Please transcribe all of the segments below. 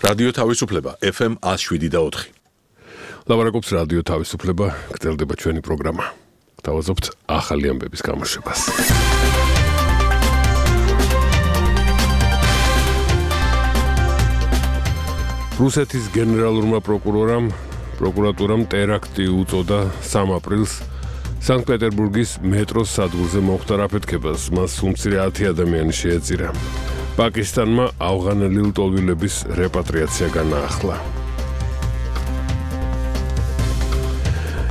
რადიო თავისუფლება FM 107.4. ლაპარაკობს რადიო თავისუფლება, გრძელდება ჩვენი პროგრამა. Გთავაზობთ ახალი ამბების გამოშვებას. რუსეთის გენერალურმა პროკურატურამ ტერაქტი უწოდა 3 აპრილს სანქტ-პეტერბურგის მეტროს სადგურზე მომხდარ აფეთქებას. მას უმცირე 10 ადამიანი შეეწირა. პაკისტანმა ავღანელი ლტოლვილების რეპატრიაცია განაახლა.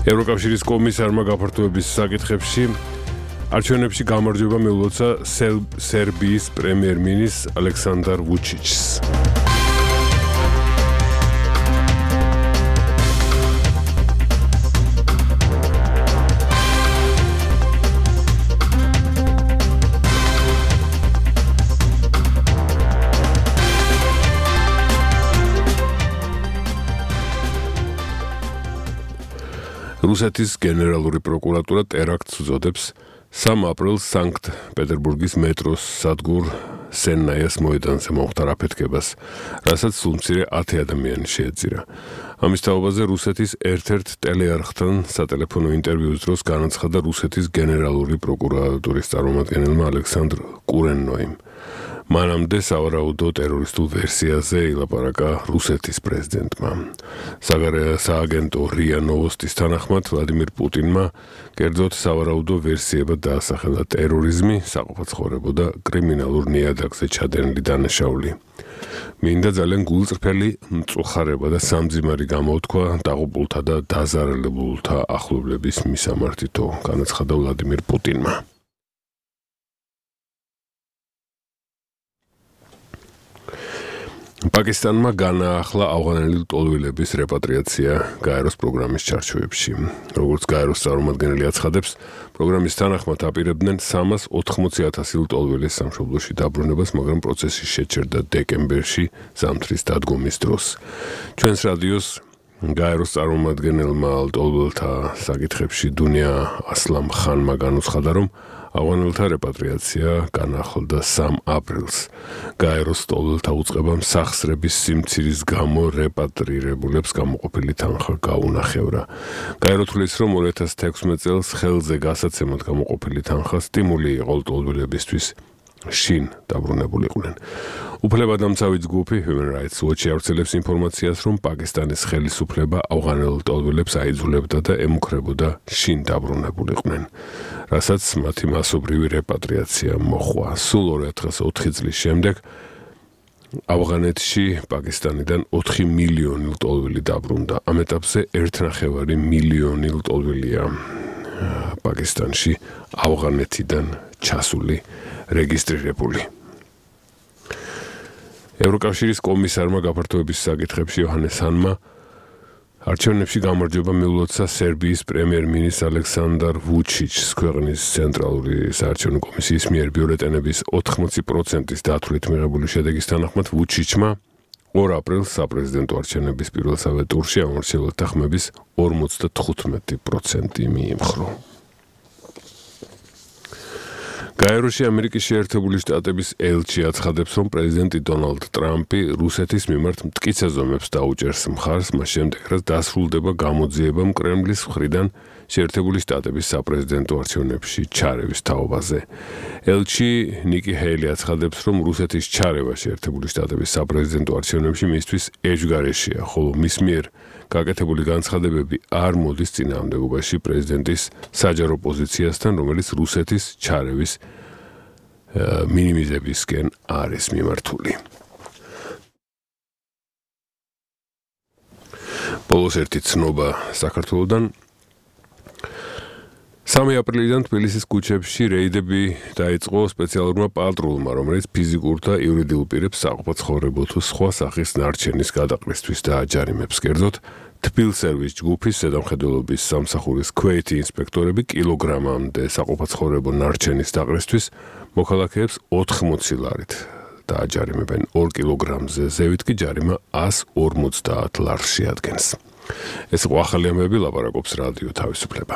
ევროკავშირის კომისარმა გაფართოების საკითხებში არჩევნებში გამარჯვება მიულოცა სერბიის პრემიერ-მინისტრს ალექსანდარ ვუჩიჩს. რუსეთის გენერალური პროკურატურა ტერაქტს უწოდებს 3 აპრილს სანქტ-პეტერბურგის მეტროს სადგურ სენნაიას მოედანზე მომხდარ აფეთქებას, რასაც უმცირე 10 ადამიანი შეეწირა. ამის თაობაზე რუსეთის ერთ-ერთ ტელეარხთან სატელეფონო ინტერვიუს დროს განაცხადა რუსეთის გენერალური პროკურატურის წარმომადგენელმა ალექსანდრ კურენოიმ. მანამდე სავარაუდო ტერორისტულ ვერსიაზე ილაპარაკა რუსეთის პრეზიდენტმა. სააგენტო რია ნოვოსტის თანახმად ვლადიმირ პუტინმა კერძოდ სავარაუდო ვერსიებად დაასახელა ტერორიზმი, საყოფაცხოვრებო და კრიმინალურ ნიადაგზე ჩადენილი დანაშაული. მინდა ძალიან გულწრფელი მწუხარება და სამძიმარი გამოთქვა დაღუპულთა და დაზარალებულთა ახლობლების მისამართითო, განაცხადა ვლადიმირ პუტინმა. პაკისტანმა განაახლა ავღანელი ლტოლვილების რეპატრიაცია გაეროს პროგრამის ჩარჩოებში. როგორც გაეროს წარმომადგენელი აცხადებს, პროგრამის თანახმად აპირებდნენ 380,000 ლტოლვილის სამშობლოში დაბრუნებას, მაგრამ პროცესი შეჩერდა დეკემბერში ზამთრის დადგომის დროს. ჩვენს რადიოს გაეროს წარმომადგენელმა ლტოლვილთა საკითხებში დუნია ასლამ ხანმა განუცხადა, რომ ავღანელთა რეპატრიაცია განახლდა 3 აპრილს. გაეროს ლტოლვილთა უწყებამ სახსრების სიმცირის გამო რეპატრირებულებს გამოყოფილი თანხა გაუნახევრა. გაერო თვლის, რომ 2016 წელს ხელზე გასაცემად გამოყოფილი თანხა სტიმული იყო ლტოლვილებისთვის შინ დაბრუნებულიყვნენ. უფლებადამცავი ჯგუფი Human Rights Watch ავრცელებს ინფორმაციას, რომ პაკისტანის ხელისუფლება ავღანელ ლტოლვილებს აიძულებდა და ემუქრებოდა შინ დაბრუნებულიყვნენ, რასაც მათი მასობრივი რეპატრიაცია მოჰყვა. სულ 2004 წლის შემდეგ ავღანეთში პაკისტანიდან 4 მილიონი ლტოლვილი დაბრუნდა. ამ ეტაპზე 1,5 მილიონი ლტოლვილია პაკისტანში ავღანეთიდან ჩასული რეგისტრირებული. ევროკავშირის კომისარმა გაფართოების საკითხებში იოჰანეს ჰანმა არჩევნებში გამარჯვება მიულოცა სერბიის პრემიერ-მინისტრს ალექსანდარ ვუჩიჩს. ქვეყნის ცენტრალური საარჩევნო კომისიის მიერ ბიულეტენების 80%-ის დათვლით მიღებული შედეგის თანახმად ვუჩიჩმა 2 აპრილს საპრეზიდენტო არჩევნების პირველსავე ტურში ამორჩეულთა ხმების 55% მიიმხრო. გაეროში ამერიკის შეერთებული შტატების ელჩი აცხადებს, რომ პრეზიდენტი დონალდ ტრამპი რუსეთის მიმართ მტკიცე ზომებს დაუჭერს მხარს, მას შემდეგ, რაც დასრულდება გამოძიებამ კრემლის მხრიდან შეერთებული შტატების საპრეზიდენტო არჩევნებში ჩარევის თაობაზე. ელჩი ნიკი ჰეილი აცხადებს, რომ რუსეთის ჩარევა შეერთებული შტატების საპრეზიდენტო არჩევნებში მისთვის ეჭვგარეშეა, ხოლო მის მიერ გაკეთებული განცხადებები არ მოდის წინააღმდეგობაში პრეზიდენტის საჯარო პოზიციასთან, რომელიც რუსეთის ჩარევის მინიმიზებისკენ არის მიმართული. ბოლოს ერთი ცნობა საქართველოდან. 3 აპრილიდან თბილისის ქუჩებში რეიდები დაიწყო სპეციალურმა პატრულმა, რომელიც ფიზიკურ და იურიდიულ პირებს საყოფაცხოვრებო თუ სხვა სახის ნარჩენის გადაყრისთვის დააჯარიმებს. კერძოდ, თბილსერვის ჯგუფის ზედამხედველობის სამსახურის ქვეითი ინსპექტორები კილოგრამამდე საყოფაცხოვრებო ნარჩენის დაყრისთვის მოქალაქეებს 80 ლარით დააჯარიმებენ. 2 კილოგრამზე ზევით კი ჯარიმა 150 ლარს შეადგენს. ეს იყო ახალი ამბები, ლაპარაკობს რადიო თავისუფლება.